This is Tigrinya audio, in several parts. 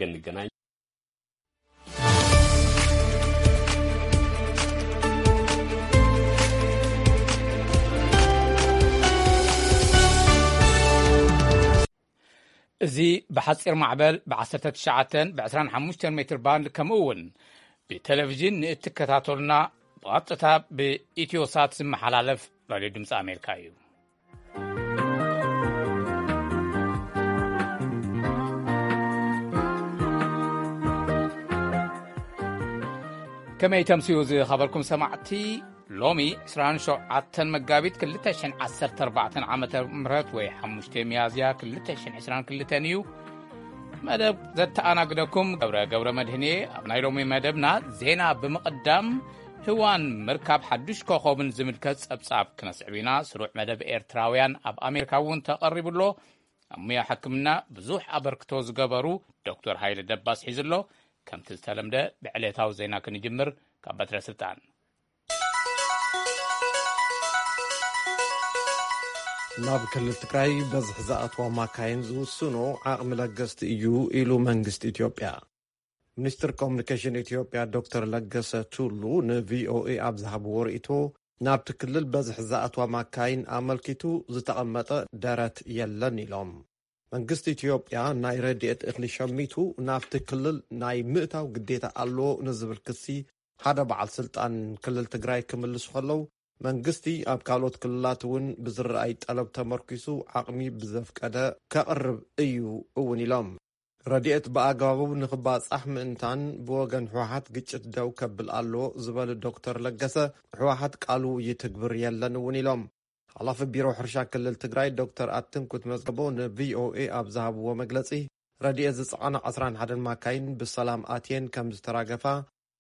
ክንገናኝ። እዚ ብሓጺር ማዕበል ብ19 ብ25 ሜትር ባንድ፣ ከምኡ እውን ብቴሌቪዥን ንእትከታተሉና፣ ብቐጥታ ብኢትዮሳት ዝመሓላለፍ ራድዮ ድምፂ ኣሜሪካ እዩ። ከመይ ተምስዩ ዝኸበርኩም ሰማዕቲ? ሎሚ 27 መጋቢት 2014 ዓመተ ምህረት ወይ 5 ሚያዝያ 2022 እዩ። መደብ ዘተኣናግደኩም ገብረ ገብረ መድህኔ። ኣብ ናይ ሎሚ መደብና ዜና ብምቕዳም፣ ህዋን ምርካብ ሓዱሽ ኮኸብን ዝምልከት ጸብጻብ ክነስዕብ ኢና። ስሩዕ መደብ ኤርትራውያን ኣብ ኣሜሪካ እውን ተቐሪቡ ኣሎ። ኣብ ሙያ ሕክምና ብዙሕ ኣበርክቶ ዝገበሩ ዶክተር ሃይለ ደባስ ሒዙ ኣሎ። ከምቲ ዝተለምደ ብዕሌታዊ ዜና ክንጅምር ካብ በትረ ስልጣን። ናብ ክልል ትግራይ በዝሒ ዝኣትዋ ማካይን ዝውስኖ ዓቕሚ ለገስቲ እዩ ኢሉ መንግስቲ ኢትዮጵያ። ሚኒስትር ኮሙኒኬሽን ኢትዮጵያ ዶክተር ለገሰ ቱሉ ንቪኦኤ ኣብ ዝሃብዎ ርእይቶ፣ ናብቲ ክልል በዝሒ ዝኣትዋ ማካይን ኣመልኪቱ ዝተቐመጠ ደረት የለን ኢሎም። መንግስቲ ኢትዮጵያ ናይ ረድኤት እኽሊ ሸሚቱ ናብቲ ክልል ናይ ምእታው ግዴታ ኣለዎ ንዝብል ክሲ ሓደ በዓል ስልጣን ክልል ትግራይ ክምልሱ ከለዉ፣ መንግስቲ ኣብ ካልኦት ክልላት እውን ብዝረኣይ ጠለብ ተመርኪሱ ዓቕሚ ብዘፍቀደ ከቕርብ እዩ እውን ኢሎም። ረድኤት ብኣግባቡ ንኽባጻሕ ምእንታን ብወገን ህወሓት ግጭት ደው ከብል ኣለዎ ዝበሉ ዶክተር ለገሰ፣ ህወሓት ቃሉ ይትግብር የለን እውን ኢሎም። ሓላፊ ቢሮ ሕርሻ ክልል ትግራይ ዶክተር ኣትንኩት መዝገቦ ንቪኦኤ ኣብ ዝሃብዎ መግለጺ፣ ረድኤት ዝጸዓና 11 ማካይን ብሰላም ኣትየን ከም ዝተራገፋ፣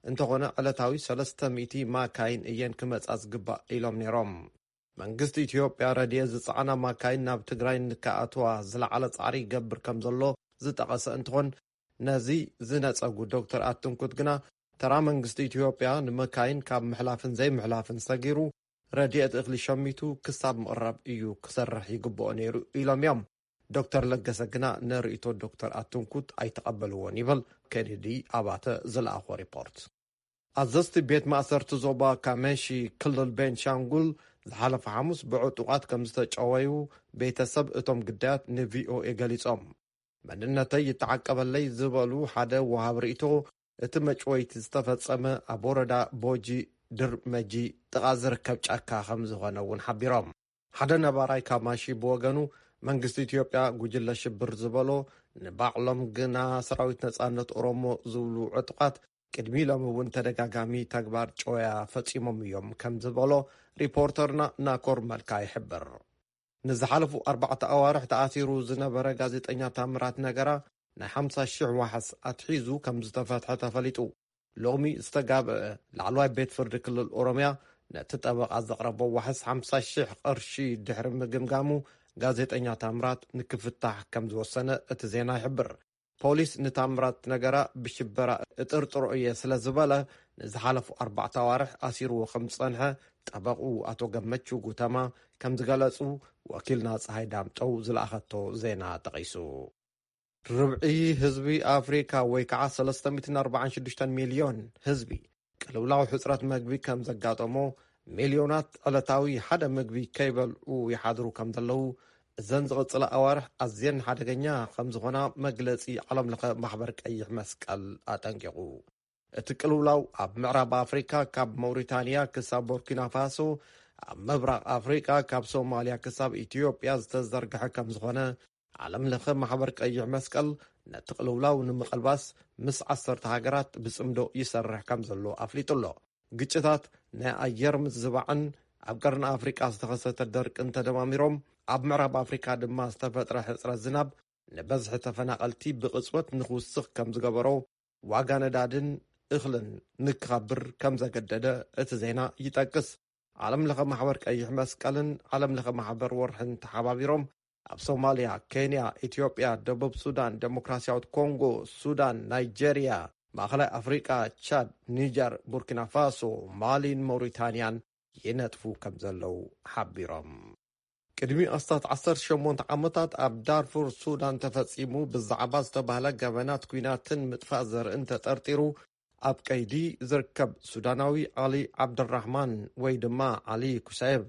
እንተኾነ ዕለታዊ 300 ማካይን እየን ክመጻ ዝግባእ ኢሎም ነይሮም። መንግስቲ ኢትዮጵያ ረድኤት ዝጸዓና ማካይን ናብ ትግራይ ንክኣትዋ ዝለዓለ ጻዕሪ ይገብር ከም ዘሎ ዝጠቐሰ እንትኾን፣ ነዚ ዝነጸጉ ዶክተር ኣትንኩት ግና፣ ተራ መንግስቲ ኢትዮጵያ ንመካይን ካብ ምሕላፍን ዘይምሕላፍን ሰጊሩ፣ ረድኤት እኽሊ ሸሚቱ ክሳብ ምቕራብ እዩ ክሰርሕ ይግብኦ ነይሩ ኢሎም እዮም። ዶክተር ለገሰ ግና ንርእይቶ ዶክተር ኣትንኩት ኣይተቐበልዎን ይብል ኬኔዲ ኣባተ ዝለኣኾ ሪፖርት። ኣዘዝቲ ቤት ማእሰርቲ ዞባ ካሜሺ ክልል ቤንሻንጉል ዝሓለፈ ሓሙስ ብዕጡቓት ከም ዝተጨወዩ ቤተሰብ እቶም ግዳያት ንቪኦኤ ገሊጾም። መንነተይ ይተዓቀበለይ ዝበሉ ሓደ ወሃብ ርእይቶ፣ እቲ መጭወይቲ ዝተፈጸመ ኣብ ወረዳ ቦጂ ድርመጂ ጥቓ ዝርከብ ጫካ ከም ዝኾነ እውን ሓቢሮም። ሓደ ነባራይ ካማሺ ብወገኑ፣ መንግስቲ ኢትዮጵያ ጉጅለ ሽብር ዝበሎ ንባዕሎም ግና ሰራዊት ነጻነት ኦሮሞ ዝብሉ ዕጡቓት ቅድሚ ሎም እውን ተደጋጋሚ ተግባር ጨወያ ፈጺሞም እዮም ከም ዝበሎ ሪፖርተርና ናኮር መልካ ይሕብር። ንዝሓለፉ ኣርባዕተ ኣዋርሕ ተኣሲሩ ዝነበረ ጋዜጠኛ ታምራት ነገራ ናይ 50,000 ዋሕስ ኣትሒዙ ከም ዝተፈትሐ ተፈሊጡ። ሎሚ ዝተጋብአ ላዕለዋይ ቤት ፍርዲ ክልል ኦሮምያ ነቲ ጠበቓ ዘቕረቦ ዋሕስ 50,000 ቅርሺ ድሕሪ ምግምጋሙ፣ ጋዜጠኛ ታምራት ንክፍታሕ ከም ዝወሰነ እቲ ዜና ይሕብር። ፖሊስ ንታምራት ነገራ ብሽበራ እጥርጥሮ እየ ስለ ዝበለ፣ ንዝሓለፉ ኣርባዕተ ኣዋርሕ ኣሲርዎ ከም ዝጸንሐ ጠበቕኡ ኣቶ ገመቹ ጉተማ ከም ዝገለጹ ወኪልና ጸሃይ ዳምጠው ዝለኣኸቶ ዜና ጠቒሱ። ርብዒ ህዝቢ ኣፍሪካ ወይ ከዓ 346 ሚልዮን ህዝቢ ቅልውላው ሕፅረት መግቢ ከም ዘጋጠሞ፣ ሚልዮናት ዕለታዊ ሓደ ምግቢ ከይበልዑ ይሓድሩ ከም ዘለዉ፣ እዘን ዝቕፅላ ኣዋርሕ ኣዝየን ሓደገኛ ከም ዝኾና መግለፂ ዓለም ለኸ ማሕበር ቀይሕ መስቀል ኣጠንቂቑ። እቲ ቅልውላው ኣብ ምዕራብ ኣፍሪካ ካብ መውሪታንያ ክሳብ ቦርኪና ፋሶ፣ ኣብ ምብራቕ ኣፍሪካ ካብ ሶማልያ ክሳብ ኢትዮጵያ ዝተዘርግሐ ከም ዝኾነ፣ ዓለም ለኸ ማሕበር ቀይሕ መስቀል ነቲ ቅልውላው ንምቕልባስ ምስ ዓሰርተ ሃገራት ብጽምዶ ይሰርሕ ከም ዘሎ ኣፍሊጡ ኣሎ። ግጭታት፣ ናይ ኣየር ምዝባዕን ኣብ ቀርኒ ኣፍሪቃ ዝተኸሰተ ደርቅን ተደማሚሮም፣ ኣብ ምዕራብ ኣፍሪካ ድማ ዝተፈጥረ ሕጽረት ዝናብ ንበዝሒ ተፈናቐልቲ ብቕጽበት ንኽውስኽ ከም ዝገበሮ፣ ዋጋ ነዳድን እኽልን ንክኸብር ከም ዘገደደ እቲ ዜና ይጠቅስ። ዓለም ለኸ ማሕበር ቀይሕ መስቀልን ዓለም ለኸ ማሕበር ወርሕን ተሓባቢሮም ኣብ ሶማልያ፣ ኬንያ፣ ኢትዮጵያ፣ ደቡብ ሱዳን፣ ዴሞክራሲያዊት ኮንጎ፣ ሱዳን፣ ናይጄርያ፣ ማእኸላይ ኣፍሪቃ፣ ቻድ፣ ኒጀር፣ ቡርኪና ፋሶ፣ ማሊን መውሪታንያን ይነጥፉ ከም ዘለዉ ሓቢሮም። ቅድሚ ኣስታት ዓሰርተ ሸሞንተ ዓመታት ኣብ ዳርፉር ሱዳን ተፈጺሙ ብዛዕባ ዝተባህለ ገበናት ኲናትን ምጥፋእ ዘርእን ተጠርጢሩ ኣብ ቀይዲ ዝርከብ ሱዳናዊ ዓሊ ዓብደራሕማን ወይ ድማ ዓሊ ኩሳየብ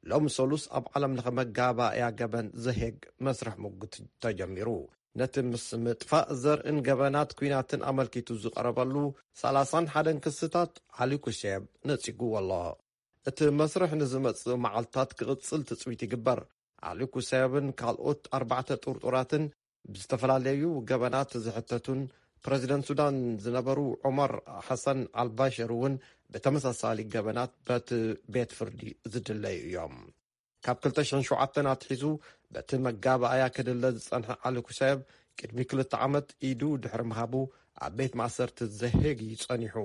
ሎም ሰሉስ ኣብ ዓለም ለኸ መጋባእያ ገበን ዘሄግ መስርሕ ምጉት ተጀሚሩ። ነቲ ምስ ምጥፋእ ዘርእን ገበናት ኲናትን ኣመልኪቱ ዝቐረበሉ ሰላሳን ሓደን ክስታት ዓሊ ኩሴብ ነጺጉዎ ኣሎ። እቲ መስርሕ ንዝመጽእ መዓልታት ክቕጽል ትጽቢት ይግበር። ዓሊ ኩሴብን ካልኦት ኣርባዕተ ጥርጡራትን ብዝተፈላለዩ ገበናት ዝሕተቱን ፕረዚደንት ሱዳን ዝነበሩ ዑመር ሓሰን ኣልባሽር እውን ብተመሳሳሊ ገበናት በቲ ቤት ፍርዲ ዝድለዩ እዮም። ካብ ክልተ ሽሕን ሸውዓተን ኣትሒዙ በቲ መጋባእያ ክድለ ዝጸንሐ ዓሊ ኩሳየብ ቅድሚ ክልተ ዓመት ኢዱ ድሕሪ ምሃቡ ኣብ ቤት ማእሰርቲ ዘሄግ እዩ ጸኒሑ።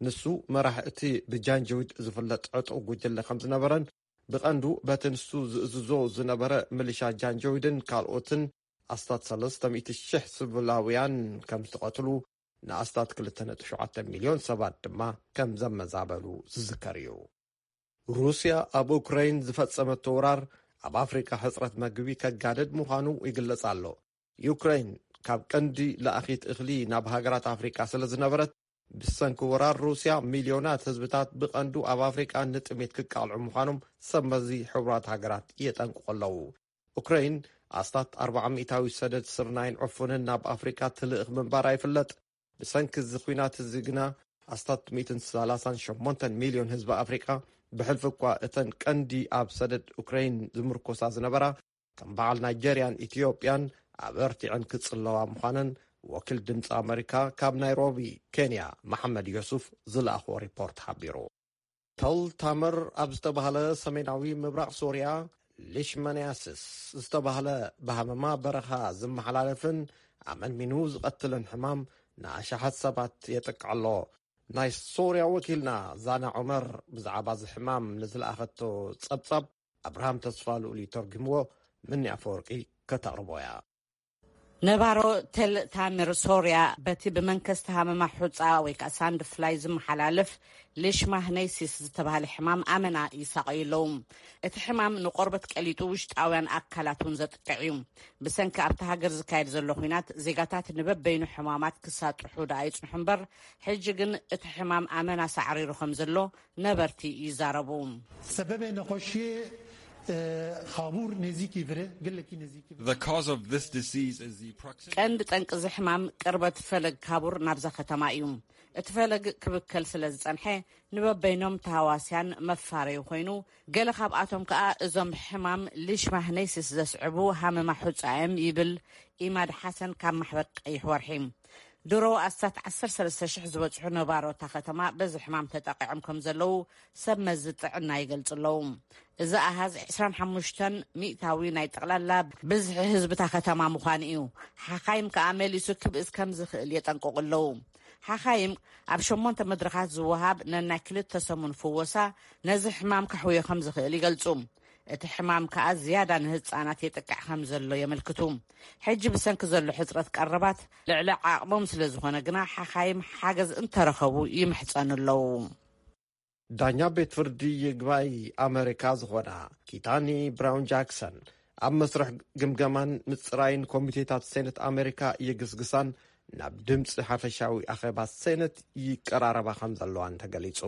ንሱ መራሕ እቲ ብጃንጀዊድ ዝፍለጥ ዕጡቕ ጉጅለ ከም ዝነበረን ብቐንዱ በቲ ንሱ ዝእዝዞ ዝነበረ ምልሻ ጃንጀዊድን ካልኦትን ኣስታት ሰለስተ ሚእቲ ሽሕ ስብላውያን ከም ዝተቐትሉ ንኣስታት ክልተ ነጥቢ ሸውዓተ ሚልዮን ሰባት ድማ ከም ዘመዛበሉ ዝዝከር እዩ። ሩስያ ኣብ ኡክራይን ዝፈጸመቶ ወራር ኣብ ኣፍሪቃ ሕጽረት መግቢ ከጋድድ ምዃኑ ይግለጽ ኣሎ። ዩክራይን ካብ ቀንዲ ለኣኺት እኽሊ ናብ ሃገራት ኣፍሪቃ ስለ ዝነበረት ብሰንኪ ወራር ሩስያ ሚልዮናት ህዝብታት ብቐንዱ ኣብ ኣፍሪቃ ንጥሜት ክቃልዑ ምዃኖም ሰብ መዚ ሕቡራት ሃገራት የጠንቅቑ ኣለዉ። ኡክራይን ኣስታት ኣርባዓ ሚእታዊ ሰደድ ስርናይን ዕፉንን ናብ ኣፍሪቃ ትልእኽ ምንባራ ይፍለጥ። ብሰንኪ እዚ ኲናት እዚ ግና ኣስታት ሚእትን ሰላሳን ሸሞንተን ሚልዮን ህዝቢ ኣፍሪቃ ብሕልፊ እኳ እተን ቀንዲ ኣብ ሰደድ ኡክራይን ዝምርኮሳ ዝነበራ ከም በዓል ናይጀርያን ኢትዮጵያን ኣበርቲዐን ክጽለዋ ምዃነን ወኪል ድምፂ ኣመሪካ ካብ ናይሮቢ ኬንያ መሓመድ ዮሱፍ ዝለኣኽዎ ሪፖርት ሓቢሩ። ተል ታመር ኣብ ዝተባህለ ሰሜናዊ ምብራቕ ሶርያ ሊሽመንያስስ ዝተባህለ ብሃመማ በረኻ ዝመሓላለፍን ኣመንሚኑ ዝቐትልን ሕማም ንኣሽሓት ሰባት የጥቅዕ ኣሎ። ናይ ሶርያ ወኪልና ዛና ዑመር ብዛዕባ እዚ ሕማም ንዝለኣኸቶ ጸብጻብ ኣብርሃም ተስፋ ልኡል እዩ ተርጉምዎ። ምኒ ኣፈወርቂ ከተቕርቦ እያ። ነባሮ ተል ታምር ሶርያ በቲ ብመንከስቲ ሃመማ ሑፃ ወይ ከዓ ሳንድ ፍላይ ዝመሓላለፍ ሊሽማህነይሲስ ዝተባህለ ሕማም ኣመና ይሳቐዩ ኣለዉ። እቲ ሕማም ንቆርበት ቀሊጡ ውሽጣውያን ኣካላት እውን ዘጥቅዕ እዩ። ብሰንኪ ኣብቲ ሃገር ዝካየድ ዘሎ ኹናት ዜጋታት ንበበይኑ ሕማማት ክሳጥሑ ደኣ ይፅንሑ እምበር ሕጂ ግን እቲ ሕማም ኣመና ሳዕሪሩ ከም ዘሎ ነበርቲ ይዛረቡ። ሰበበ ነኾሽየ ኻቡር ነዚክ ይብረ ገለኪ ነዚክ ይብረ The cause of this disease is the proximity ቀንዲ ጠንቂ እዚ ሕማም ቅርበት ፈለግ ካቡር ናብዛ ከተማ እዩ። እቲ ፈለግ ክብከል ስለ ዝጸንሐ ንበበይኖም ተሃዋስያን መፋረዩ ኮይኑ፣ ገለ ካብኣቶም ከኣ እዞም ሕማም ሊሽማህነይሲስ ዘስዕቡ ሃመማ ሑጻ እዮም ይብል ኢማድ ሓሰን ካብ ማሕበር ቀይሕ ወርሒ። ድሮ ኣስታት ዓሰርተ ሰለስተ ሽሕ ዝበጽሑ ነባሮ እታ ከተማ በዚ ሕማም ተጠቒዖም ከም ዘለዉ ሰብ መዚ ጥዕና ይገልጹ ኣለዉ። እዚ ኣሃዝ ዕስራን ሓሙሽተን ሚእታዊ ናይ ጠቕላላ ብዝሒ ህዝቢ እታ ከተማ ምዃኑ እዩ። ሓኻይም ከኣ መሊሱ ክብእስ ከም ዝኽእል የጠንቅቑ ኣለዉ። ሓኻይም ኣብ ሸሞንተ መድረኻት ዝወሃብ ነናይ ክልተ ሰሙን ፍወሳ ነዚ ሕማም ከሕውዮ ከም ዝኽእል ይገልጹ። እቲ ሕማም ከኣ ዝያዳ ንህጻናት የጥቅዕ ከም ዘሎ የመልክቱ። ሕጂ ብሰንኪ ዘሎ ሕጽረት ቀረባት ልዕሊ ዓቕሞም ስለ ዝኾነ ግና ሓኻይም ሓገዝ እንተረኸቡ ይምሕጸኑ ኣለዉ። ዳኛ ቤት ፍርዲ ይግባይ ኣመሪካ ዝኾና ኪታኒ ብራውን ጃክሰን ኣብ መስርሕ ግምገማን ምጽራይን ኮሚቴታት ሴነት ኣመሪካ ይግስግሳን ናብ ድምፂ ሓፈሻዊ ኣኼባ ሴነት ይቀራረባ ከም ዘለዋን ተገሊጹ።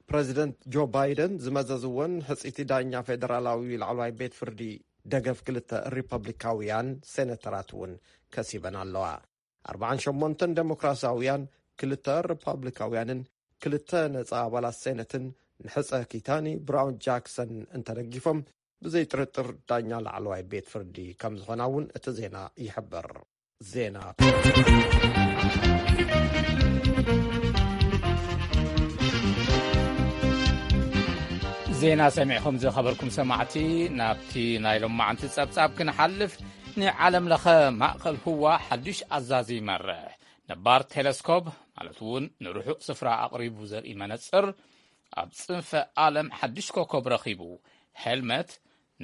ፕረዚደንት ጆ ባይደን ዝመዘዝወን ሕጽይቲ ዳኛ ፌደራላዊ ላዕለዋይ ቤት ፍርዲ ደገፍ ክልተ ሪፐብሊካውያን ሴነተራት እውን ከሲበን ኣለዋ። ኣርባዓን ሸሞንተን ዴሞክራሲያውያን፣ ክልተ ሪፓብሊካውያንን ክልተ ነጻ ኣባላት ሴነትን ንሕጸ ኪታኒ ብራውን ጃክሰን እንተደጊፎም ብዘይጥርጥር ዳኛ ላዕለዋይ ቤት ፍርዲ ከም ዝኾና እውን እቲ ዜና ይሕብር። ዜና ዜና ሰሚዕኹም ዝኸበርኩም ሰማዕቲ፣ ናብቲ ናይ ሎማዓንቲ ጸብጻብ ክንሓልፍ፣ ንዓለም ለኸ ማእከል ህዋ ሓዱሽ ኣዛዚ ይመርሕ። ነባር ቴለስኮፕ፣ ማለት እውን ንርሑቕ ስፍራ ኣቕሪቡ ዘርኢ መነጽር፣ ኣብ ጽንፈ ዓለም ሓዱሽ ኮከብ ረኺቡ። ሄልመት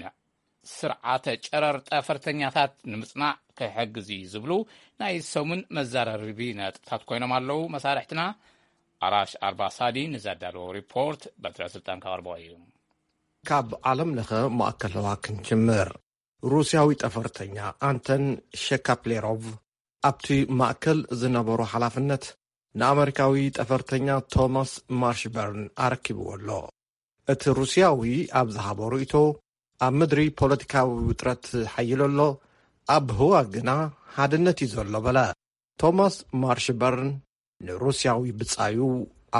ንስርዓተ ጨረር ጠፈርተኛታት ንምጽናዕ ክሕግዝ እዩ ዝብሉ ናይ ሰሙን መዘራረቢ ነጥብታት ኮይኖም ኣለዉ። መሳርሕትና ኣራሽ ኣርባሳዲ ንዘዳለዎ ሪፖርት በትረ ስልጣን ከቕርቦ እዩ። ካብ ዓለም ለኸ ማእከል ህዋ ክንጅምር። ሩስያዊ ጠፈርተኛ ኣንተን ሸካፕሌሮቭ ኣብቲ ማእከል ዝነበሮ ሓላፍነት ንኣመሪካዊ ጠፈርተኛ ቶማስ ማርሽበርን ኣረኪብዎ ኣሎ። እቲ ሩስያዊ ኣብ ዝሃቦ ርእይቶ፣ ኣብ ምድሪ ፖለቲካዊ ውጥረት ሓይሉ ኣሎ፣ ኣብ ህዋ ግና ሓድነት እዩ ዘሎ በለ። ቶማስ ማርሽበርን ንሩስያዊ ብጻዩ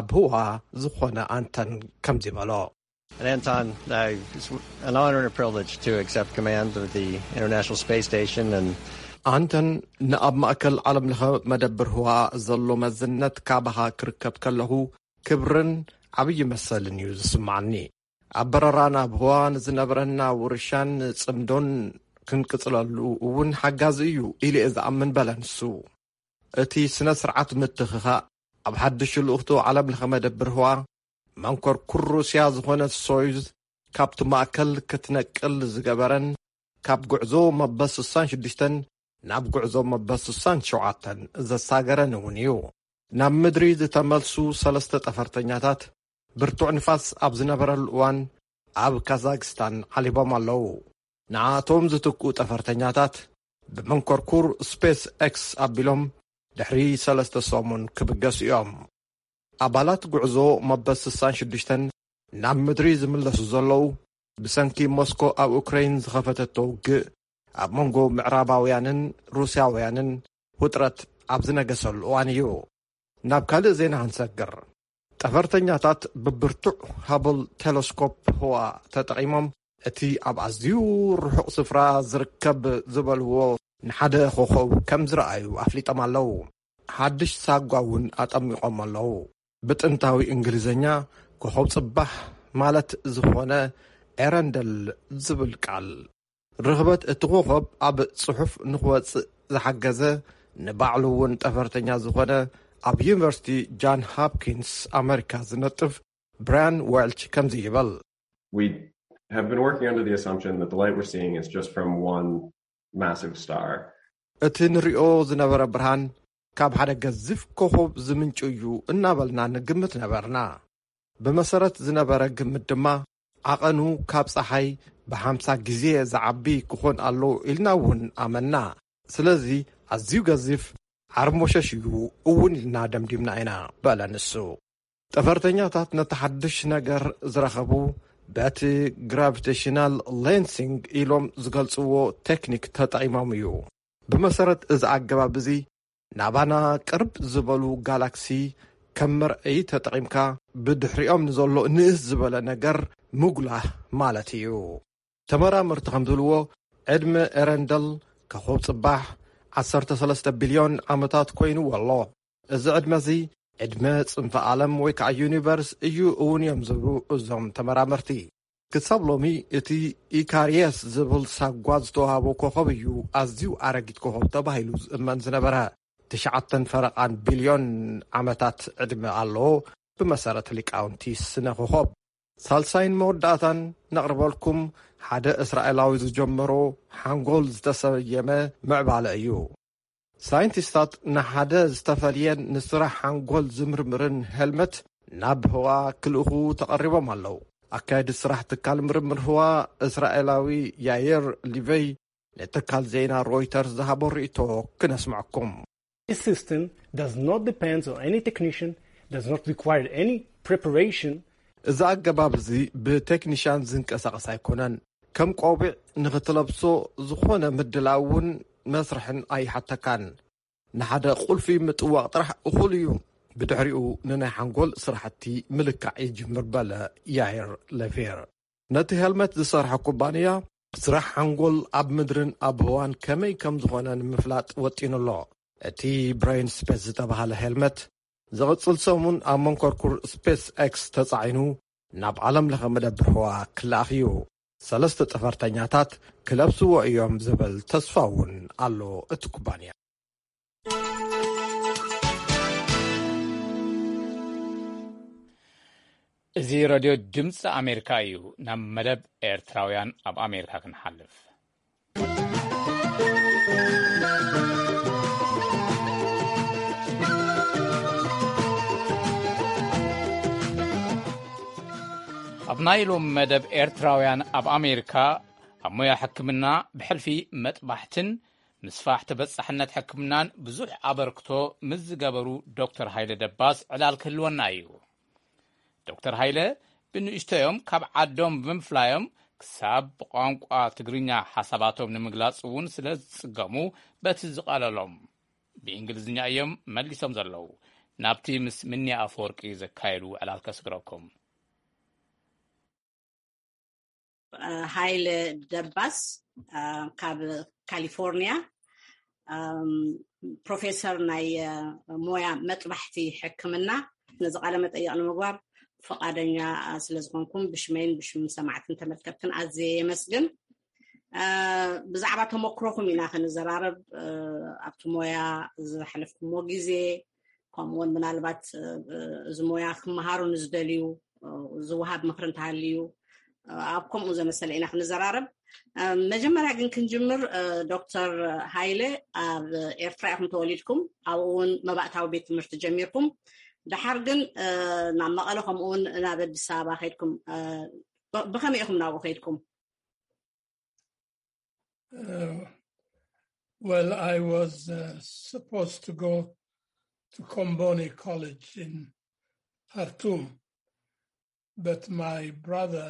ኣብ ህዋ ዝኾነ ኣንተን ከምዚ በሎ። And Anton, uh, it's an honor and a privilege to accept command of the International Space Station and ኣንተን፣ ንኣብ ማእከል ዓለም ለኸ መደብር ህዋ ዘሎ መዝነት ካባኻ ክርከብ ከለኹ ክብርን ዓብዪ መሰልን እዩ ዝስማዓኒ። ኣብ በረራ ናብ ህዋ ንዝነበረና ውርሻን ጽምዶን ክንቅጽለሉ እውን ሓጋዚ እዩ ኢለ እየ ዝኣምን በለ ንሱ። እቲ ስነ ስርዓት ምትኽኻእ ኣብ ሓድሽ ልኡኽቱ ዓለም ለኸ መደብር ህዋ መንኮርኩር ሩስያ ዝኾነ ሶዩዝ ካብቲ ማእከል ክትነቅል ዝገበረን ካብ ጉዕዞ መበል ስሳን ሽዱሽተን ናብ ጉዕዞ መበል ስሳን ሸውዓተን ዘሳገረን እውን እዩ። ናብ ምድሪ ዝተመልሱ ሰለስተ ጠፈርተኛታት ብርቱዕ ንፋስ ኣብ ዝነበረሉ እዋን ኣብ ካዛክስታን ዓሊቦም ኣለዉ። ንኣቶም ዝትክኡ ጠፈርተኛታት ብመንኮርኩር ስፔስ ኤክስ ኣቢሎም ድሕሪ ሰለስተ ሰሙን ክብገሱ እዮም። ኣባላት ጉዕዞ መበል ስሳን ሽዱሽተን ናብ ምድሪ ዝምለሱ ዘለዉ ብሰንኪ ሞስኮ ኣብ ኡክረይን ዝኸፈተቶ ውግእ ኣብ መንጎ ምዕራባውያንን ሩስያውያንን ውጥረት ኣብ ዝነገሰሉ እዋን እዩ። ናብ ካልእ ዜና ክንሰግር። ጠፈርተኛታት ብብርቱዕ ሃብል ቴለስኮፕ ህዋ ተጠቒሞም እቲ ኣብ ኣዝዩ ርሑቕ ስፍራ ዝርከብ ዝበልዎ ንሓደ ኮኾብ ከም ዝረኣዩ ኣፍሊጦም ኣለዉ። ሓድሽ ሳጓ እውን ኣጠሚቖም ኣለዉ። ብጥንታዊ እንግሊዝኛ ኮኾብ ጽባሕ ማለት ዝኾነ ኤረንደል ዝብል ቃል። ርኽበት እቲ ኮኾብ ኣብ ጽሑፍ ንኽወጽእ ዝሓገዘ ንባዕሉ እውን ጠፈርተኛ ዝኾነ ኣብ ዩኒቨርሲቲ ጃን ሆፕኪንስ ኣመሪካ ዝነጥፍ ብራያን ዌልች ከምዚ ይብል። We have been working under the assumption that the light we're seeing is just from one massive star. እቲ ንሪኦ ዝነበረ ብርሃን ካብ ሓደ ገዚፍ ኮኾብ ዝምንጩ እዩ እናበልና ንግምት ነበርና። ብመሰረት ዝነበረ ግምት ድማ ዓቐኑ ካብ ጸሓይ ብሓምሳ ግዜ ዝዓቢ ክኾን ኣሎ ኢልና እውን ኣመና። ስለዚ ኣዝዩ ገዚፍ ዓርሞሸሽ እዩ እውን ኢልና ደምዲምና ኢና በለ ንሱ። ጠፈርተኛታት ነቲ ሓድሽ ነገር ዝረኸቡ በቲ ግራቪቴሽናል ሌንሲንግ ኢሎም ዝገልጽዎ ቴክኒክ ተጠቒሞም እዩ። ብመሰረት እዚ ኣገባብ እዚ ናባና ቅርብ ዝበሉ ጋላክሲ ከም መርኣዪ ተጠቒምካ ብድሕሪኦም ንዘሎ ንእስ ዝበለ ነገር ምጉላህ ማለት እዩ። ተመራመርቲ ከም ዝብልዎ ዕድመ ኤረንደል ከኾብ ጽባሕ ዓሰርተ ሰለስተ ቢልዮን ዓመታት ኮይንዎ ኣሎ። እዚ ዕድመ እዚ ዕድመ ጽንፈ ዓለም ወይ ከዓ ዩኒቨርስ እዩ እውን እዮም ዝብሉ እዞም ተመራመርቲ። ክሳብ ሎሚ እቲ ኢካርየስ ዝብል ሳጓ ዝተዋህቦ ኮኸብ እዩ ኣዝዩ ኣረጊት ኮኸብ ተባሂሉ ዝእመን ዝነበረ። ትሽዓተን ፈረቓን ቢልዮን ዓመታት ዕድመ ኣለዎ። ብመሰረት ሊቃውንቲ ስነ ኮኸብ ሳልሳይን መወዳእታን ነቕርበልኩም ሓደ እስራኤላዊ ዝጀመሮ ሓንጎል ዝተሰየመ ምዕባለ እዩ። ሳይንቲስታት ንሓደ ዝተፈልየን ንስራሕ ሓንጎል ዝምርምርን ሄልመት ናብ ህዋ ክልእኹ ተቐሪቦም ኣለዉ። ኣካየዲ ስራሕ ትካል ምርምር ህዋ እስራኤላዊ ያየር ሊቨይ ንትካል ዜና ሮይተርስ ዝሃቦ ርእይቶ ክነስምዐኩም። This system does not depend on any technician, does not require any preparation. እዚ ኣገባብ እዚ ብቴክኒሻን ዝንቀሳቐስ ኣይኮነን። ከም ቆቢዕ ንኽትለብሶ ዝኾነ ምድላውን መስርሕን ኣይሓተካን። ንሓደ ቁልፊ ምጥዋቕ ጥራሕ እኹል እዩ። ብድሕሪኡ ንናይ ሓንጎል ስራሕቲ ምልካዕ ይጅምር በለ ያይር ለፌር። ነቲ ሄልመት ዝሰርሐ ኩባንያ ስራሕ ሓንጎል ኣብ ምድርን ኣብ ህዋን ከመይ ከም ዝኾነ ንምፍላጥ ወጢኑ ኣሎ። እቲ ብሬን ስፔስ ዝተባህለ ሄልመት ዝቕጽል ሰሙን ኣብ መንኮርኩር ስፔስ ኤክስ ተጻዒኑ ናብ ዓለም ለኸ መደብር ህዋ ክለኣኽ እዩ። ሰለስተ ጠፈርተኛታት ክለብስዎ እዮም ዝብል ተስፋ እውን ኣሎ እቲ ኩባንያ። እዚ ረድዮ ድምፂ ኣሜሪካ እዩ። ናብ መደብ ኤርትራውያን ኣብ ኣሜሪካ ክንሓልፍ። ናይ ሎም መደብ ኤርትራውያን ኣብ ኣሜሪካ ኣብ ሞያ ሕክምና ብሕልፊ መጥባሕትን ምስፋሕ ተበጻሕነት ሕክምናን ብዙሕ ኣበርክቶ ምስ ዝገበሩ ዶክተር ሃይለ ደባስ ዕላል ክህልወና እዩ። ዶክተር ሃይለ ብንእሽቶዮም ካብ ዓዶም ብምፍላዮም ክሳብ ብቋንቋ ትግርኛ ሓሳባቶም ንምግላጽ እውን ስለ ዝጽገሙ በቲ ዝቐለሎም ብእንግሊዝኛ እዮም መሊሶም ዘለዉ። ናብቲ ምስ ምኒ ኣፈወርቂ ዘካየዱ ዕላል ከስግረኩም። ሃይለ ደባስ ካብ ካሊፎርኒያ ፕሮፌሰር ናይ ሞያ መጥባሕቲ ሕክምና፣ ነዚ ቃለ መጠይቕ ንምግባር ፈቓደኛ ስለ ዝኾንኩም ብሽመይን ብሽም ሰማዕትን ተመልከትትን ኣዝየ የመስግን። ብዛዕባ ተመክሮኹም ኢና ክንዘራረብ። ኣብቲ ሞያ ዝሓለፍኩሞ ግዜ፣ ከምኡውን ምናልባት እዚ ሞያ ክመሃሩ ንዝደልዩ ዝወሃብ ምኽሪ እንተሃልዩ፣ ኣብ ከምኡ ዘመሰለ ኢና ክንዘራረብ። መጀመርያ ግን ክንጅምር፣ ዶክተር ሃይለ፣ ኣብ ኤርትራ ኢኹም ተወሊድኩም፣ ኣብኡ እውን መባእታዊ ቤት ትምህርቲ ጀሚርኩም። ደሓር ግን ናብ መቐለ ከምኡውን ናብ ኣዲስ ኣበባ ከይድኩም። ብኸመይ ኢኹም ናብኡ ከይድኩም? Uh, well, I was uh, supposed to go to Komboni College in Khartoum, but my brother,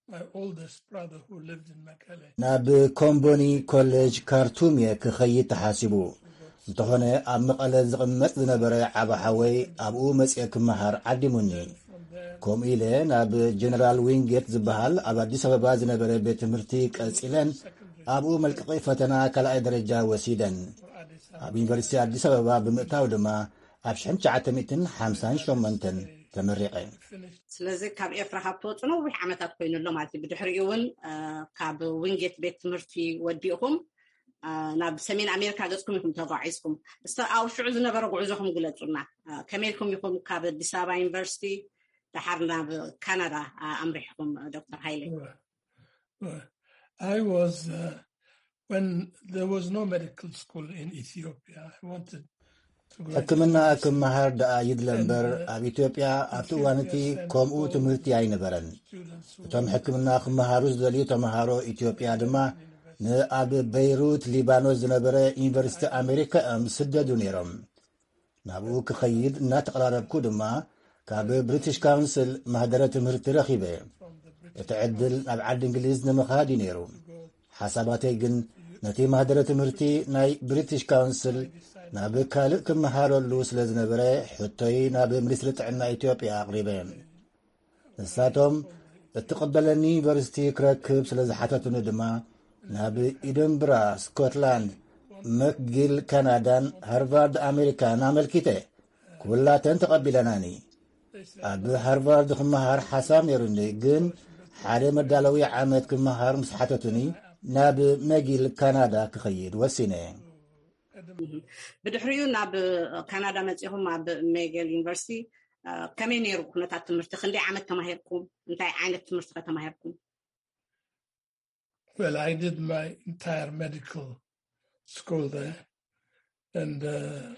my oldest brother who lived in Mekelle, ናብ ኮምቦኒ ኮሌጅ ካርቱም እየ ክኸይድ ተሓሲቡ። እንተኾነ ኣብ መቐለ ዝቕመጥ ዝነበረ ዓባ ሓወይ ኣብኡ መፅየ ክመሃር ዓዲሙኒ። ከምኡ ኢለ ናብ ጀነራል ዊንጌት ዝበሃል ኣብ ኣዲስ ኣበባ ዝነበረ ቤት ትምህርቲ ቀጺለን ኣብኡ መልቀቒ ፈተና ካልኣይ ደረጃ ወሲደን። ኣብ ዩኒቨርሲቲ ኣዲስ ኣበባ ብምእታው ድማ ኣብ ሽሕን ትሽዓተ ሚእትን ሓምሳን ሸሞንተን ተመሪቐ። ስለዚ ካብ ኤርትራ ካብ ትወፁ ነዊሕ ዓመታት ኮይኑ ኣሎ ማለት እዩ። ብድሕሪኡ እውን ካብ ዊንጌት ቤት ትምህርቲ ወዲእኹም ናብ ሰሜን ኣሜሪካ ገፅኩም ኢኹም ተጓዒዝኩም። እስቲ ኣብ ሽዑ ዝነበረ ጉዕዞኹም ግለፁና። ከመይ ኢልኩም ኢኹም ካብ ኣዲስ ኣበባ ዩኒቨርሲቲ ደሓር ናብ ካናዳ ኣምሪሕኩም? ዶክተር ሃይለ። I was uh, when there was no medical school in Ethiopia. I wanted to go. ሕክምና ክመሃር ደኣ ይድለ እምበር ኣብ ኢትዮጵያ ኣብቲ እዋን እቲ ከምኡ ትምህርቲ ኣይነበረን። እቶም ሕክምና ክመሃሩ ዝደልዩ ተምሃሮ ኢትዮጵያ ድማ ንኣብ በይሩት ሊባኖስ ዝነበረ ዩኒቨርሲቲ ኣሜሪካ እዮም ዝስደዱ ነይሮም። ናብኡ ክኸይድ እናተቐራረብኩ ድማ ካብ ብሪቲሽ ካውንስል ማህደረ ትምህርቲ ረኺበ። እቲ ዕድል ናብ ዓዲ እንግሊዝ ንምኻድ እዩ ነይሩ። ሓሳባተይ ግን ነቲ ማህደረ ትምህርቲ ናይ ብሪቲሽ ካውንስል ናብ ካልእ ክመሃረሉ ስለ ዝነበረ ሕቶይ ናብ ሚኒስትሪ ጥዕና ኢትዮጵያ ኣቕሪበ። ንሳቶም እትቕበለኒ ዩኒቨርሲቲ ክረክብ ስለ ዝሓተቱኒ ድማ ናብ ኢደንብራ ስኮትላንድ፣ መክጊል ካናዳን ሃርቫርድ ኣሜሪካን ኣመልኪተ። ኩላተን ተቐቢለናኒ። ኣብ ሃርቫርድ ክመሃር ሓሳብ ነይሩኒ፣ ግን ሓደ መዳለዊ ዓመት ክመሃር ምስ ሓተቱኒ ናብ መጊል ካናዳ ክኸይድ ወሲነ። ብድሕሪኡ ናብ ካናዳ መፂኹም ኣብ ሜጌል ዩኒቨርሲቲ ከመይ ነይሩ ኩነታት ትምህርቲ? ክንደይ ዓመት ተማሂርኩም? እንታይ ዓይነት ትምህርቲ ከተማሂርኩም? Well, I did my entire medical school there, and uh,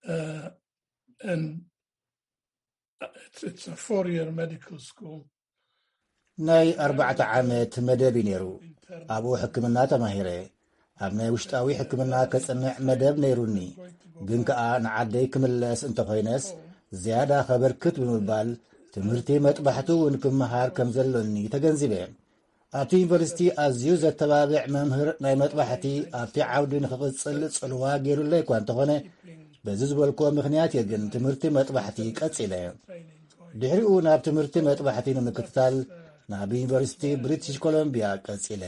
uh, and it's, it's a four-year medical school. ናይ ኣርባዕተ ዓመት መደብ እዩ ነይሩ። ኣብኡ ሕክምና ተማሂረ። ኣብ ናይ ውሽጣዊ ሕክምና ከጽንዕ መደብ ነይሩኒ፣ ግን ከኣ ንዓደይ ክምለስ እንተኾይነስ ዝያዳ ከበርክት ብምባል ትምህርቲ መጥባሕቲ እውን ክመሃር ከም ዘሎኒ ተገንዚበ። ኣብቲ ዩኒቨርሲቲ ኣዝዩ ዘተባብዕ መምህር ናይ መጥባሕቲ ኣብቲ ዓውዲ ንኽቕጽል ጽልዋ ገይሩለይ እኳ እንተኾነ፣ በዚ ዝበልክዎ ምኽንያት እየ ግን ትምህርቲ መጥባሕቲ ቀጺለ። ድሕሪኡ ናብ ትምህርቲ መጥባሕቲ ንምክትታል ናብ ዩኒቨርሲቲ ብሪቲሽ ኮሎምቢያ ቀጺለ።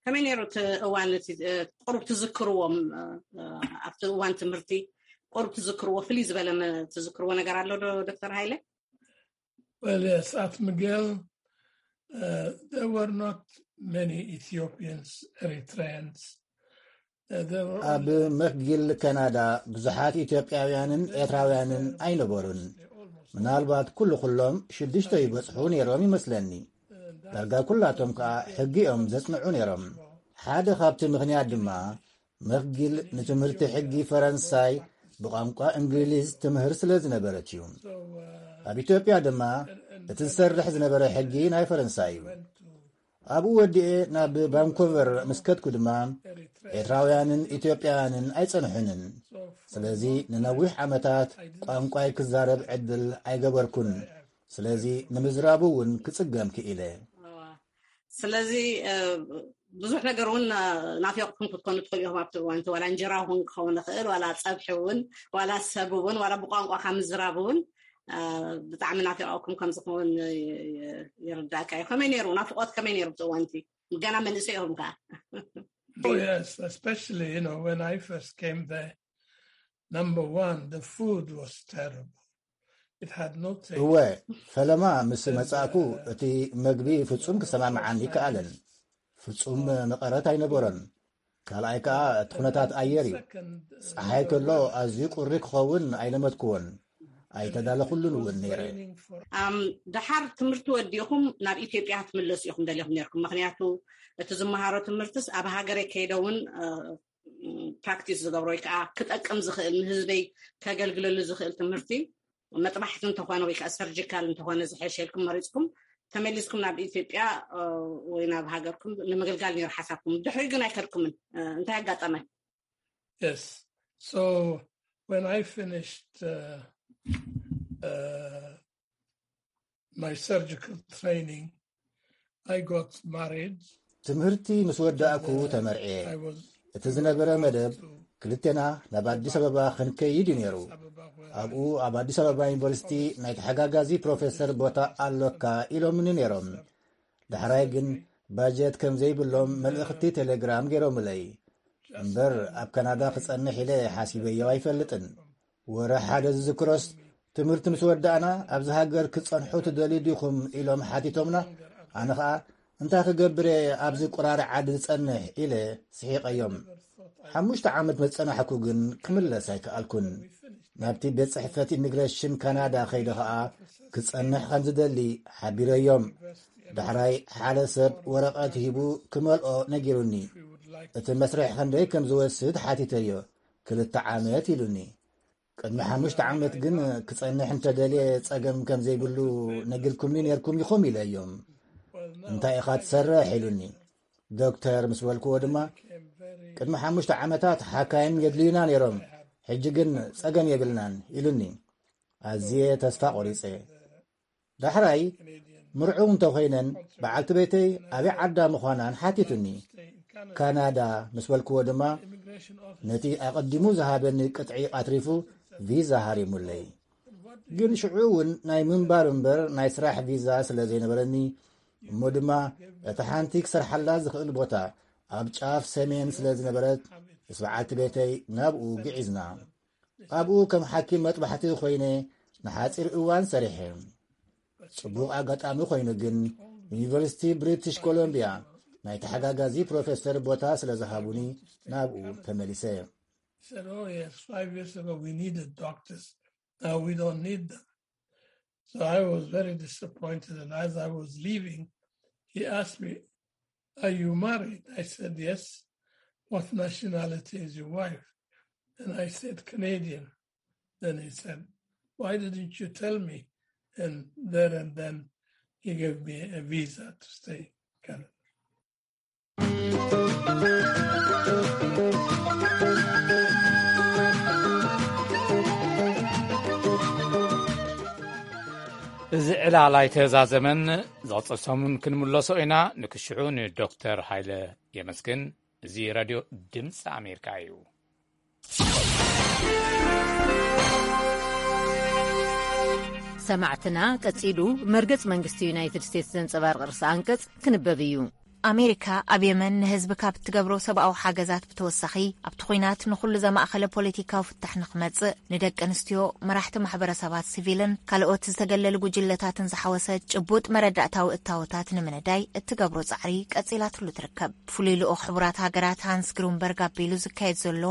ከመይ ነይሩ እቲ እዋን እቲ ቁሩብ ትዝክርዎም? ኣብቲ እዋን ትምህርቲ ቁሩብ ትዝክርዎ ፍልይ ዝበለ ትዝክርዎ ነገር ኣሎ ዶ ዶክተር ሃይለ? Well, yes, at Miguel, uh, there were not many Ethiopians, Eritreans. Uh, there were ኣብ መክጊል ካናዳ ብዙሓት ኢትዮጵያውያንን ኤርትራውያንን ኣይነበሩን። ምናልባት ኩሉ ኩሎም ሽዱሽተ ይበጽሑ ነይሮም ይመስለኒ። ዳርጋ ኩላቶም ከኣ ሕጊ እዮም ዘጽንዑ ነይሮም። ሓደ ካብቲ ምኽንያት ድማ መኽጊል ንትምህርቲ ሕጊ ፈረንሳይ ብቋንቋ እንግሊዝ ትምህር ስለ ዝነበረት እዩ። ኣብ ኢትዮጵያ ድማ እቲ ዝሰርሕ ዝነበረ ሕጊ ናይ ፈረንሳ እዩ። ኣብኡ ወዲኤ ናብ ቫንኮቨር ምስ ከድኩ ድማ ኤርትራውያንን ኢትዮጵያውያንን ኣይጸንሑንን። ስለዚ ንነዊሕ ዓመታት ቋንቋይ ክዛረብ ዕድል ኣይገበርኩን። ስለዚ ንምዝራቡ እውን ክጽገም ክኢለ። ስለዚ ብዙሕ ነገር እውን ናፊቕኩም ክትኮኑ ትኽእሉ ኢኹም። ኣብቲ እዋንቲ ዋላ እንጀራ እውን ክኸውን ይኽእል፣ ዋላ ፀብሒ እውን፣ ዋላ ሰብ እውን፣ ዋላ ብቋንቋ ካብ ምዝራብ እውን ብጣዕሚ ናፊቐኩም ከም ዝኸውን ይርዳእካ እዩ። ከመይ ነይሩ ናፍቆት? ከመይ ነይሩ ኣብቲ እዋንቲ? ገና መንእሰይ ኢኹም ከዓ። Oh yes, especially you know when I first came there, number one, the food was terrible. It had no taste. እወ፣ ፈለማ ምስ መጻእኩ እቲ መግቢ ፍጹም ክሰማምዓኒ ይከኣለን። ፍጹም መቐረት ኣይነበሮን። ካልኣይ ከኣ እቲ ኩነታት ኣየር እዩ። ጸሓይ ከሎ ኣዝዩ ቁሪ ክኸውን ኣይለመድክዎን። ኣይተዳለኹሉን እውን ነይረ። ኣም፣ ደሓር ትምህርቲ ወዲኹም ናብ ኢትዮጵያ ክትምለሱ ኢኹም ደሊኹም ነርኩም? ምኽንያቱ እቲ ዝመሃሮ ትምህርትስ ኣብ ሃገረይ ከይደ እውን ፕራክቲስ ዝገብሮ ወይ ከዓ ክጠቅም ዝኽእል ንህዝበይ ከገልግለሉ ዝኽእል ትምህርቲ መጥባሕቲ እንተኾነ ወይ ከዓ ሰርጂካል እንተኾነ ዝሐሸልኩም መሪፅኩም ተመሊስኩም ናብ ኢትዮጵያ ወይ ናብ ሃገርኩም ንምግልጋል ነይሩ ሓሳብኩም። ድሕሪ ግን ኣይከድኩምን። እንታይ ኣጋጠመ? Yes. So when I finished uh, uh, my surgical training, I got married. ትምህርቲ ምስ ወዳእኩ ተመርዕየ። እቲ ዝነበረ መደብ ክልቴና ናብ ኣዲስ ኣበባ ክንከይድ እዩ ነይሩ። ኣብኡ ኣብ ኣዲስ ኣበባ ዩኒቨርሲቲ ናይ ተሓጋጋዚ ፕሮፌሰር ቦታ ኣሎካ ኢሎምኒ ነይሮም። ዳሕራይ ግን ባጀት ከም ዘይብሎም መልእኽቲ ቴሌግራም ገይሮምለይ። እምበር ኣብ ካናዳ ክጸንሕ ኢለ ሓሲበዮ ኣይፈልጥን። ወረ ሓደ ዝዝክሮስ ትምህርቲ ምስ ወዳእና ኣብዚ ሃገር ክጸንሑ ትደልዩ ዲኹም ኢሎም ሓቲቶምና። ኣነ ኸኣ እንታይ ክገብር እየ ኣብዚ ቁራሪ ዓዲ ዝጸንሕ ኢለ ስሒቐዮም። ሓሙሽተ ዓመት መጸናሕኩ ግን ክምለስ ኣይከኣልኩን። ናብቲ ቤት ጽሕፈት ኢሚግሬሽን ካናዳ ከይደ ኸኣ ክጸንሕ ከም ዝደሊ ሓቢረዮም። ዳሕራይ ሓደ ሰብ ወረቐት ሂቡ ክመልኦ ነጊሩኒ። እቲ መስርሕ ክንደይ ከም ዝወስድ ሓቲተዮ። ክልተ ዓመት ኢሉኒ። ቅድሚ ሓሙሽተ ዓመት ግን ክጸንሕ እንተደልየ ጸገም ከም ዘይብሉ ነጊርኩምኒ ነርኩም ኢኹም ኢለዮም። እንታይ ኢኻ ትሰርሕ ኢሉኒ። ዶክተር ምስ በልክዎ ድማ ቅድሚ ሓሙሽተ ዓመታት ሓካይም የድልዩና ነይሮም፣ ሕጂ ግን ጸገም የብልናን ኢሉኒ። ኣዝየ ተስፋ ቆሪጸ። ዳሕራይ ምርዑው እንተኾይነን በዓልቲ ቤተይ ኣበይ ዓዳ ምዃናን ሓቲቱኒ። ካናዳ ምስ በልክዎ ድማ ነቲ ኣቐዲሙ ዝሃበኒ ቅጥዒ ኣትሪፉ ቪዛ ሃሪሙለይ። ግን ሽዑ እውን ናይ ምንባር እምበር ናይ ስራሕ ቪዛ ስለ ዘይነበረኒ እሞ ድማ እቲ ሓንቲ ክሰርሓላ ዝኽእል ቦታ ኣብ ጫፍ ሰሜን ስለ ዝነበረት ምስ በዓልቲ ቤተይ ናብኡ ግዒዝና። ኣብኡ ከም ሓኪም መጥባሕቲ ኮይነ ንሓጺር እዋን ሰሪሐ። ጽቡቕ ኣጋጣሚ ኮይኑ ግን ዩኒቨርሲቲ ብሪቲሽ ኮሎምቢያ ናይ ተሓጋጋዚ ፕሮፌሰር ቦታ ስለ ዝሃቡኒ ናብኡ ተመሊሰ። He said, "Oh yes, five years ago we needed doctors. Now we don't need them." So I was very disappointed, and as I was leaving, he asked me, "Are you married?" I said, "Yes." "What nationality is your wife?" And I said, "Canadian." Then he said, "Why didn't you tell me?" And there and then he gave me a visa to stay in Canada. እዚ ዕላል ኣይተዛዘመን። ዝቕጽል ሰሙን ክንምለሶ ኢና። ንክሽዑ ንዶክተር ሃይለ የመስግን። እዚ ራድዮ ድምፂ ኣሜሪካ እዩ። ሰማዕትና፣ ቀጺሉ መርገጽ መንግስቲ ዩናይትድ ስቴትስ ዘንጸባርቕ ርእሰ ኣንቀጽ ክንበብ እዩ። ኣሜሪካ ኣብ የመን ንህዝቢ ካብ እትገብሮ ሰብኣዊ ሓገዛት ብተወሳኺ፣ ኣብቲ ኲናት ንኹሉ ዘማእኸለ ፖለቲካዊ ፍታሕ ንኽመጽእ፣ ንደቂ ኣንስትዮ፣ መራሕቲ ማሕበረሰባት ሲቪልን ካልኦት ዝተገለሉ ጉጅለታትን ዝሓወሰ ጭቡጥ መረዳእታዊ እታወታት ንምንዳይ እትገብሮ ጻዕሪ ቀጺላትሉ ትርከብ። ፍሉይ ልኡኽ ሕቡራት ሃገራት ሃንስ ግሩንበርግ ኣቢሉ ዝካየድ ዘሎ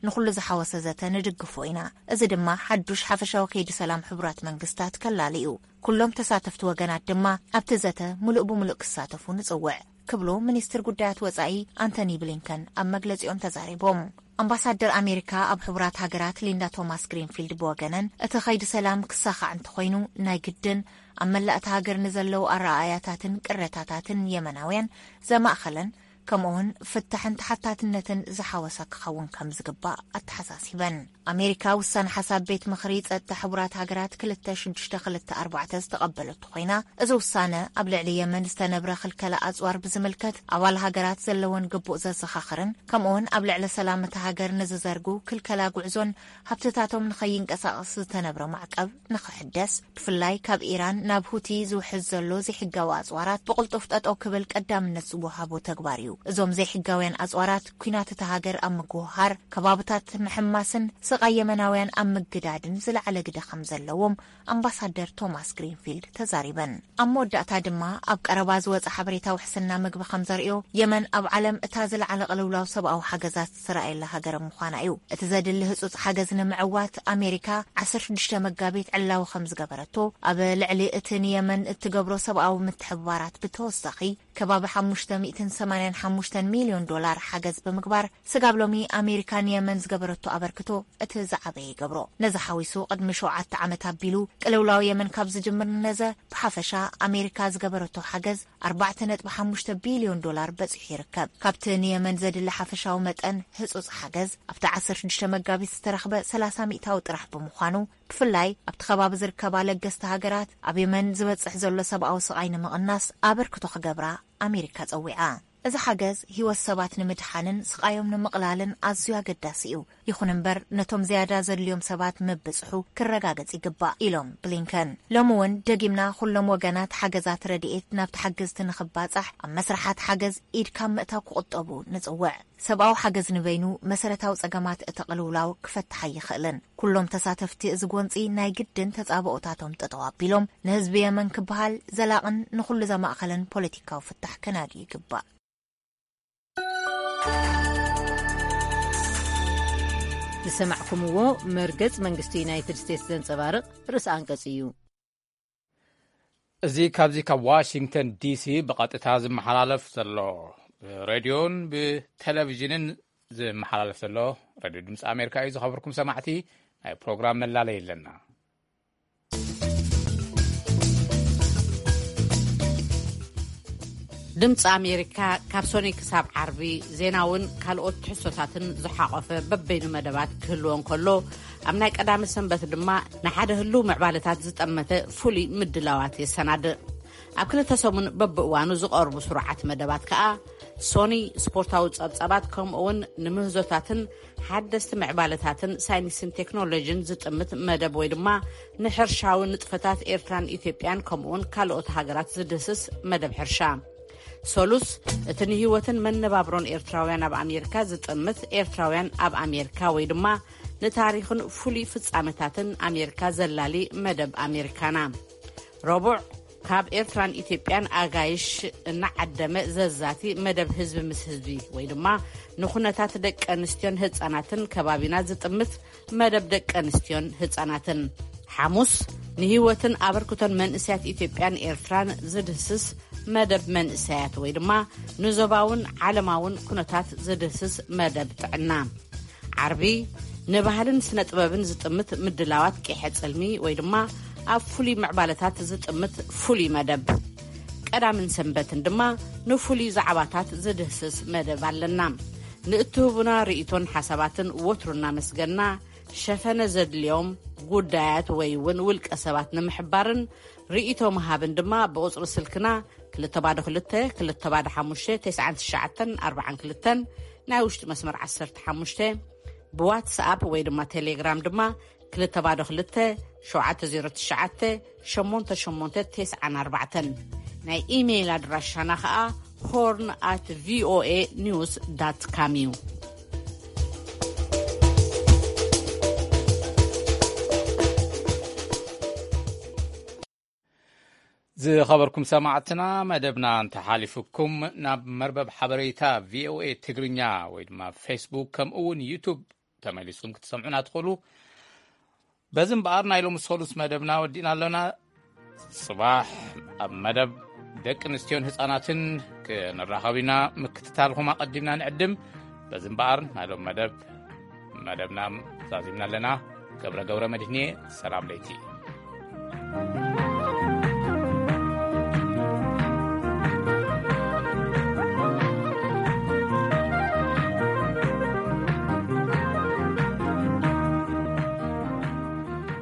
ንኹሉ ዝሓወሰ ዘተ ንድግፎ ኢና። እዚ ድማ ሓዱሽ ሓፈሻዊ ከይዲ ሰላም ሕቡራት መንግስታት ከላሊ እዩ። ኩሎም ተሳተፍቲ ወገናት ድማ ኣብቲ ዘተ ምሉእ ብምሉእ ክሳተፉ ንጽውዕ ክብሉ ሚኒስትር ጉዳያት ወጻኢ ኣንቶኒ ብሊንከን ኣብ መግለጺኦም ተዛሪቦም። ኣምባሳደር ኣሜሪካ ኣብ ሕቡራት ሃገራት ሊንዳ ቶማስ ግሪንፊልድ ብወገነን፣ እቲ ኸይዲ ሰላም ክሳኻዕ እንተኾይኑ፣ ናይ ግድን ኣብ መላእ እታ ሃገር ንዘለዉ ኣረኣእያታትን ቅሬታታትን የመናውያን ዘማእኸለን፣ ከምኡውን ፍታሕን ተሓታትነትን ዝሓወሰ ክኸውን ከም ዝግባእ ኣተሓሳሲበን። ኣሜሪካ ውሳነ ሓሳብ ቤት ምኽሪ ጸጥታ ሕቡራት ሃገራት ክልተ ሽዱሽተ ክልተ ኣርባዕተ ዝተቐበለቶ ኮይና፣ እዚ ውሳነ ኣብ ልዕሊ የመን ዝተነብረ ክልከላ ኣጽዋር ብዝምልከት ኣባል ሃገራት ዘለወን ግቡእ ዘዘኻኽርን፣ ከምኡውን ኣብ ልዕሊ ሰላም እታ ሃገር ንዝዘርጉ ክልከላ ጉዕዞን ሃብትታቶም ንኸይንቀሳቐስ ዝተነብረ ማዕቀብ ንኽሕደስ፣ ብፍላይ ካብ ኢራን ናብ ሁቲ ዝውሕዝ ዘሎ ዘይሕጋዊ ኣጽዋራት ብቕልጡፍ ጠጠው ክብል ቀዳምነት ዝወሃቦ ተግባር እዩ። እዞም ዘይሕጋውያን ኣጽዋራት ኲናት እታ ሃገር ኣብ ምግውሃር፣ ከባብታት ምሕማስን ስቓይ የመናውያን ኣብ ምግዳድን ዝለዓለ ግደ ከም ዘለዎም ኣምባሳደር ቶማስ ግሪንፊልድ ተዛሪበን። ኣብ መወዳእታ ድማ፣ ኣብ ቀረባ ዝወጸ ሓበሬታ ውሕስና ምግቢ ከም ዘርእዮ፣ የመን ኣብ ዓለም እታ ዝለዓለ ቅልውላው ሰብኣዊ ሓገዛት ዝረኣየላ ሃገር ምዃና እዩ። እቲ ዘድሊ ህጹጽ ሓገዝ ንምዕዋት ኣሜሪካ ዓሰርተ ሽዱሽተ መጋቢት ዕላዊ ከም ዝገበረቶ፣ ኣብ ልዕሊ እቲ ንየመን እትገብሮ ሰብኣዊ ምትሕብባራት ብተወሳኺ ከባቢ ሓሙሽተ ሚእትን ሰማንያን ሓሙሽተን ሚልዮን ዶላር ሓገዝ ብምግባር፣ ስጋብ ሎሚ ኣሜሪካ ንየመን ዝገበረቶ ኣበርክቶ እቲ ዝዓበየ ይገብሮ። ነዚ ሓዊሱ፣ ቅድሚ ሸውዓተ ዓመት ኣቢሉ ቅልውላው የመን ካብ ዝጅምር ንነዘ፣ ብሓፈሻ ኣሜሪካ ዝገበረቶ ሓገዝ ኣርባዕተ ነጥቢ ሓሙሽተ ቢልዮን ዶላር በጺሑ ይርከብ። ካብቲ ንየመን ዘድሊ ሓፈሻዊ መጠን ህጹጽ ሓገዝ፣ ኣብቲ ዓሰርተ ሽዱሽተ መጋቢት ዝተረኽበ ሰላሳ ሚእታዊ ጥራሕ ብምዃኑ፣ ብፍላይ ኣብቲ ከባቢ ዝርከባ ለገስቲ ሃገራት፣ ኣብ የመን ዝበጽሕ ዘሎ ሰብኣዊ ስቓይ ንምቕናስ ኣበርክቶ ክገብራ ኣሜሪካ ጸዊዓ። እዚ ሓገዝ፣ ህይወት ሰባት ንምድሓንን ስቓዮም ንምቕላልን ኣዝዩ ኣገዳሲ እዩ። ይኹን እምበር፣ ነቶም ዝያዳ ዘድልዮም ሰባት ምብጽሑ ክረጋገጽ ይግባእ፣ ኢሎም ብሊንከን። ሎሚ እውን ደጊምና፣ ኩሎም ወገናት ሓገዛት ረድኤት ናብቲ ሓገዝቲ ንኽባጻሕ፣ ኣብ መስርሓት ሓገዝ ኢድ ካብ ምእታው ክቑጠቡ ንጽውዕ። ሰብኣዊ ሓገዝ ንበይኑ መሰረታዊ ጸገማት እቲ ቅልውላው ክፈትሕ ኣይኽእልን። ኩሎም ተሳተፍቲ እዚ ጎንጺ ናይ ግድን ተጻብኦታቶም ጠጠው ኣቢሎም፣ ንህዝቢ የመን ክበሃል ዘላቕን ንኹሉ ዘማእኸለን ፖለቲካዊ ፍታሕ ከናድዩ ይግባእ። ዝሰማዕኩምዎ መርገጽ መንግስቲ ዩናይትድ ስቴትስ ዘንጸባርቕ ርእሰ ኣንቀጽ እዩ። እዚ ካብዚ ካብ ዋሽንግተን ዲሲ ብቐጥታ ዝመሓላለፍ ዘሎ፣ ብሬድዮን ብቴሌቪዥንን ዝመሓላለፍ ዘሎ ሬድዮ ድምፂ ኣሜሪካ እዩ። ዝኸበርኩም ሰማዕቲ፣ ናይ ፕሮግራም መላለይ ኣለና። ድምፂ ኣሜሪካ ካብ ሶኒ ክሳብ ዓርቢ ዜናውን ካልኦት ትሕዝቶታትን ዝሓቖፈ በበይኑ መደባት ክህልዎ እንከሎ፣ ኣብ ናይ ቀዳሚ ሰንበት ድማ ንሓደ ህሉው ምዕባለታት ዝጠመተ ፍሉይ ምድላዋት የሰናድእ። ኣብ ክልተ ሰሙን በብእዋኑ ዝቐርቡ ስሩዓት መደባት ከኣ፣ ሶኒ ስፖርታዊ ጸብጻባት፣ ከምኡ'ውን ንምህዞታትን ሓደስቲ ምዕባለታትን ሳይንስን ቴክኖሎጂን ዝጥምት መደብ፣ ወይ ድማ ንሕርሻዊ ንጥፈታት ኤርትራን ኢትዮጵያን፣ ከምኡ'ውን ካልኦት ሃገራት ዝድህስስ መደብ ሕርሻ። ሰሉስ፣ እቲ ንህይወትን መነባብሮን ኤርትራውያን ኣብ ኣሜሪካ ዝጥምት ኤርትራውያን ኣብ ኣሜሪካ፣ ወይ ድማ ንታሪኽን ፍሉይ ፍጻመታትን ኣሜሪካ ዘላሊ መደብ ኣሜሪካና። ረቡዕ፣ ካብ ኤርትራን ኢትዮጵያን ኣጋይሽ እናዓደመ ዘዛቲ መደብ ህዝቢ ምስ ህዝቢ፣ ወይ ድማ ንኩነታት ደቂ ኣንስትዮን ህጻናትን ከባቢና ዝጥምት መደብ ደቂ ኣንስትዮን ህጻናትን። ሓሙስ፣ ንህይወትን ኣበርክቶን መንእሰያት ኢትዮጵያን ኤርትራን ዝድህስስ መደብ መንእሰያት፣ ወይ ድማ ንዞባውን ዓለማውን ኩነታት ዝድህስስ መደብ ጥዕና። ዓርቢ፣ ንባህልን ስነ ጥበብን ዝጥምት ምድላዋት ቂሐ ጽልሚ፣ ወይ ድማ ኣብ ፍሉይ ምዕባለታት ዝጥምት ፍሉይ መደብ። ቀዳምን ሰንበትን ድማ ንፍሉይ ዛዕባታት ዝድህስስ መደብ ኣለና። ንእትህቡና ርእይቶን ሓሳባትን ወትሩ እናመስገና፣ ሸፈነ ዘድልዮም ጉዳያት ወይ እውን ውልቀ ሰባት ንምሕባርን ርእይቶ ምሃብን ድማ ብቁጽሪ ስልክና ክልተ ባዶ ክልተ፣ ክልተ ባዶ ሓሙሽተ፣ ተስዓን ትሽዓተን ኣርባዓን ክልተን፣ ናይ ውሽጢ መስመር ዓሰርተ ሓሙሽተ፣ ብዋትስኣፕ ወይ ድማ ቴሌግራም ድማ ክልተ ባዶ ክልተ፣ ሸውዓተ ዜሮ ትሽዓተ፣ ሸሞንተ ሸሞንተ ተስዓን ኣርባዕተን። ናይ ኢሜይል ኣድራሻና ኸኣ ሆርን ኣት ቪኦኤ ኒውስ ዳት ካም እዩ። ዝኸበርኩም ሰማዕትና፣ መደብና እንተሓሊፉኩም፣ ናብ መርበብ ሓበሬታ ቪኦኤ ትግርኛ ወይ ድማ ፌስቡክ፣ ከምኡ እውን ዩቱብ ተመሊስኩም ክትሰምዑና ትኽእሉ። በዚ እምበኣር፣ ናይ ሎሚ ሰሉስ መደብና ወዲእና ኣለና። ጽባሕ ኣብ መደብ ደቂ ኣንስትዮን ህጻናትን ክንራኸብ ኢና። ምክትታልኩም ኣቐዲምና ንዕድም። በዚ እምበኣር፣ ናይ ሎሚ መደብ መደብና ዛዚምና ኣለና። ገብረ ገብረ መድህኔ፣ ሰላም ለይቲ።